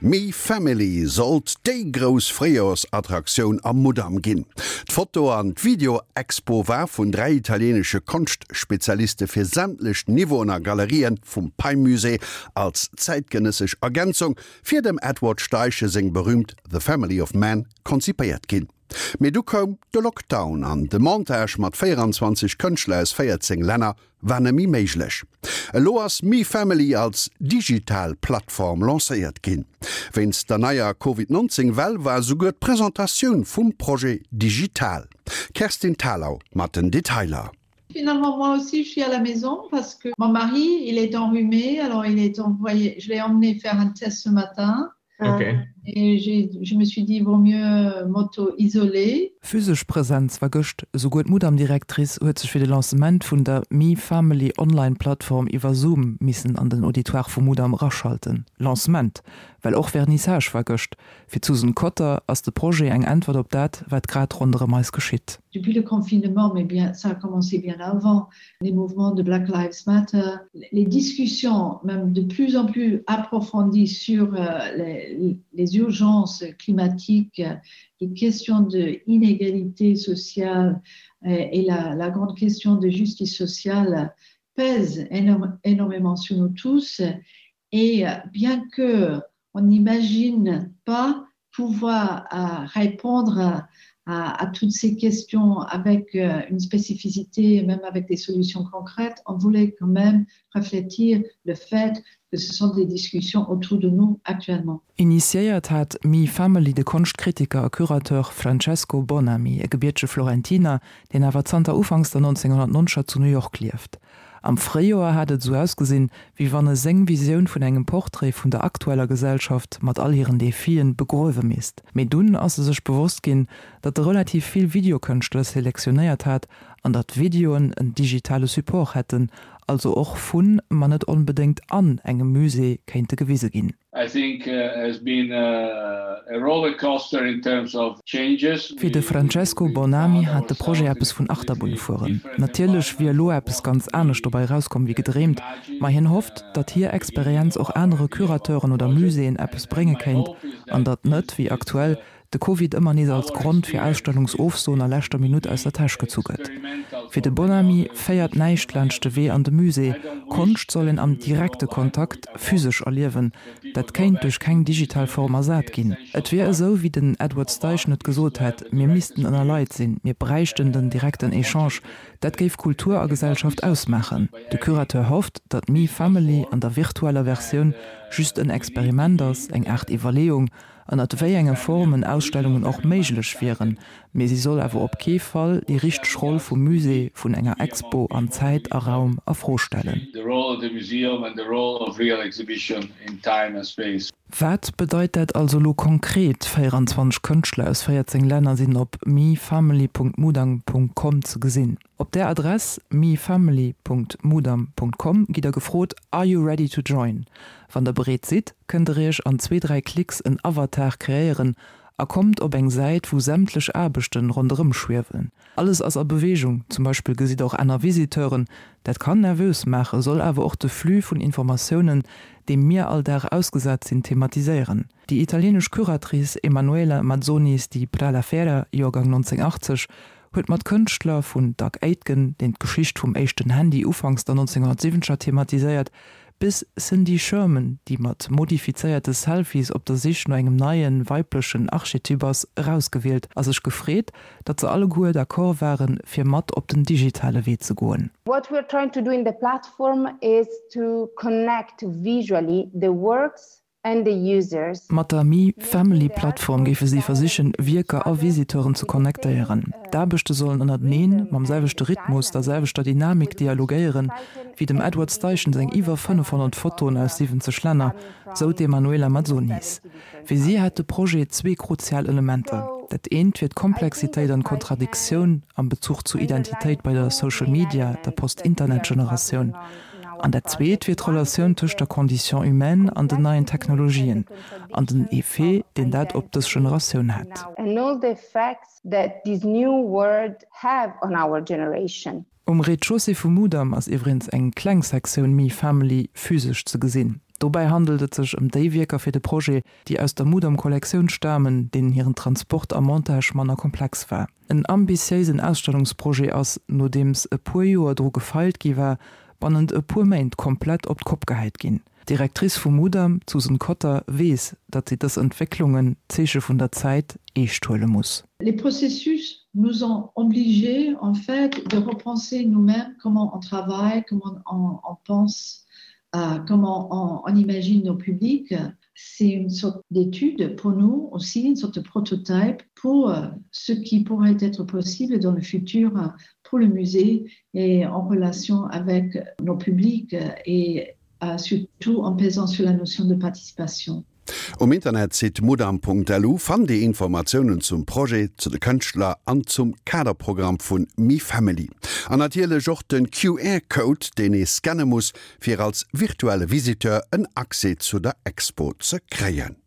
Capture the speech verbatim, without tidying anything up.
Me Family sollt déi grouss Fréijoersattraktioun am Mudam ginn. D'Foto an d'Video-Expo war vun dräi italieenesche Konschtspezialiste fir sämtlech Niveauen a Galerien vum Pei-Musée als zäitgenëssesch Ergänzung fir dem Edward Steichen seng berüümt The Family of Man konzipéiert ginn. Mee du koum de Lockdown an de Montage mat véieranzwanzeg Kënschtler aus véierzéng Länner war net méi méiglech. Elo ass Me Family als digital Plattform lancéiert ginn. Wéinst der neier Covid nonzéng Well war esouguer d'Presentatioun vum Projet digital. Kerstin Thalau mat den Detailer. Finalement, moi aussi, je suis à la maison parce que mon mari, il est enrhumé, alors il est envoyé, je l'ai emmené faire un test ce matin. Okay. Et j'ai, je me suis dit, vaut mieux m'auto-isoler. Physesch Presenz war gëscht, esouguer d'Mudam-Directrice huet sech fir de Lancement vun der Me Family Online-Plattform iwwer Zoom missen an den Auditoire vum Mudam eraschalten. Lancement, well och Vernissage war gëscht. Fir d'Susan Cotter ass de Projet eng Äntwert op dat, wat grad ronderëm eis geschitt. Depuis le confinement, mais bien, ça a commencé bien avant, les mouvements de Black Lives Matter, les discussions même de plus en plus approfondies sur les, les urgences climatiques, les questions de inégalité sociale et la, la grande question de justice sociale pèsent énorme, énormément sur nous tous. Et bien que on n'imagine pas pouvoir euh, répondre à, à, à toutes ces questions avec euh, une spécificité, même avec des solutions concrètes, on voulait quand même refléter le fait que ce sont des discussions autour de nous actuellement. Initiéiert hat Me Family de Konschtkritiker a Curateur Francesco Bonami, e gebiertege Florentiner, deen awer zanter ufanks der nonzénghonnertnonzeger zu New York lieft. Am Fréijoer hat et esou ausgesinn, wéi wann e seng Visioun vun engem Portrait vun der aktueller Gesellschaft mat all hiren Defien begruewe misst. Mee dunn ass e sech bewosst ginn, datt e relativ vill Videokënschtler selektionéiert hat an datt Videoen en digitale Support hätten, also och vun, ma net onbedéngt an engem Musée kéinte gewise ginn. I think has been a rollercoaster in terms of changes. Fir de Francesco Bonami hat de Projet eppes vun Achterbunn-Fueren. Natierlech wier elo eppes ganz anescht dobäi erauskomm wéi gedreemt, ma hien hofft, datt hir Experienz och anere Curateuren oder Muséeën eppes brénge kéint an datt net, wéi aktuell, de Covid ëmmer nees als Grond fir Ausstellungsofsoen a leschter Minutt aus der Täsch gezu gëtt. Fir de Bonami féiert näischt laanscht de Wee an de Musée. Konscht soll een am direkte Kontakt, physesch erliewen. Dat kéint duerch keng digital Form ersat ginn. Et wier esou, wéi den Edward Steichen et gesot hätt, mir missten ënner Leit sinn, mir bräichten den direkten Echange. Dat géif Kultur a Gesellschaft ausmaachen. De Curateur hofft, datt Me Family an der virtueller Versioun just en Experiment ass, eng Aart Iwwerleeung, ënnert wéi enge Formen Ausstellungen och méiglech wieren, mee si soll awer op kee Fall déi richteg Roll vum Musée, vun enger Expo an Zäit a Raum a Fro stellen. Wat bedeit dat also elo konkret? véieranzwanzeg Kënschtler aus véierzéng Länner sinn op mefamily punkt mudam punkt com ze gesinn. Op där Adress mefamily punkt mudam punkt com gitt der gefrot, Are you ready to join? Wann der bereet sidd, kënnt der iech an zwee, dräi Klicks en Avatar kreéieren a kommt op eng Säit, wou sämtlech Aarbechten ronderëm schwiewen. Alles ass a Beweegung, zum Beispill gesitt der och aner Visiteuren. Dat kann nervös maachen, soll awer och de Flux vun Informatiounen, deem mir all Dag ausgesat sinn, thematiséieren. Déi italienesch Curatrice Emanuela Mazzonis di Pralafera, Joergang nonzénghunnertachtzeg, huet mat Kënschtler vun Doug Aitken, deen d'Geschicht vum éischten Handy ufanks der nonzénghunnertsiwwenzeger thematiséiert, bis Cindy Sherman, déi mat modifizéierte Selfies op der Sich no engem neien, weiblechen Archetyp ass, erausgewielt a sech gefreet, datt se alleguer d'accord waren, fir mat op den digitale Wee ze goen. What we are trying to do in the platform is to connect visually the works and the users. Mat der Me Family Plattform géife si versichen, Wierker a Visiteuren ze connectéieren. D'Aarbechte sollen ënnerteneen, mam selwechte Rhythmus, der selwechter Dynamik dialogéieren, wéi dem Edward Steichen seng iwwer fënnefhonnert Fotoen aus siwwenzeg Länner, sou d'Emanuela Mazzonis. Fir si hätt de Projet zwee kruzial Elementer. Dat eent wier d'Komplexitéit an d'Kontradiktioun am Bezuch zu Identitéit bei der Social Media, der Post-Internet-Generatioun. An dat zweet wier d'Relatioun tëscht der Condition humaine an den neien Technologien an den Effet, deen dat op dës Generatioun hätt. Um Rez-de-chaussée vum Mudam ass iwwregens eng kleng Sektioun Me Family physesch ze gesinn. Dobäi handelt et sech ëm déi Wierker fir de Projet, déi aus der Mudam-Kollektioun stamen, deenen hiren Transport a Montage manner komplex war. En ambitiéisen Ausstellungsprojet ass, nodeems e puer Joer dru gefeilt gi war, bannent e puer Méint komplett op d'Kopp gehäit ginn. D'Directrice vum Mudam, d'Susan Cotter, weess, datt si dës Entwécklungen, Zeeche vun der Zäit, eescht huele muss. Les processus nous ont obligés en fait de repenser nous-mêmes comment on travaille, comment on, on pense, euh, comment on, on imagine nos publics. C'est une sorte d'étude pour nous aussi, une sorte de prototype pour euh, ce qui pourrait être possible dans le futur euh, pour le musée et en relation avec nos publics et euh, surtout en pesant sur la notion de participation. Um Internetsite mudam.lu fannt Dir Informatiounen zum Projet, zu de Kënschtler an zum Kaderprogramm vun MeFamily. An natierlech och den Q R-Code, deen ee scanne muss, fir als virtuelle Visiteur en Accès zu der Expo ze kréien.